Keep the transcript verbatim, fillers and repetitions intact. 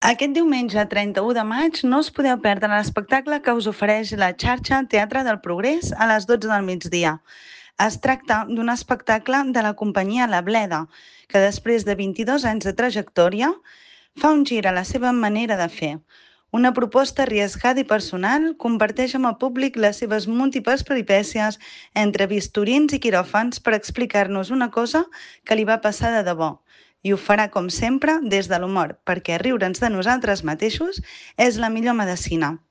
Aquest diumenge trenta-u de maig no us podeu perdre l'espectacle que us ofereix la xarxa Teatre del Progrés a les dotze del migdia. Es tracta d'un espectacle de la companyia La Bleda, que després de vint-i-dos anys de trajectòria fa un gir a la seva manera de fer. Una proposta arriesgada i personal comparteix amb el públic les seves múltiples peripècies entre bisturins i quiròfans per explicar-nos una cosa que li va passar de debò. I ho farà, com sempre, des de l'humor, perquè riure'ns de nosaltres mateixos és la millor medecina.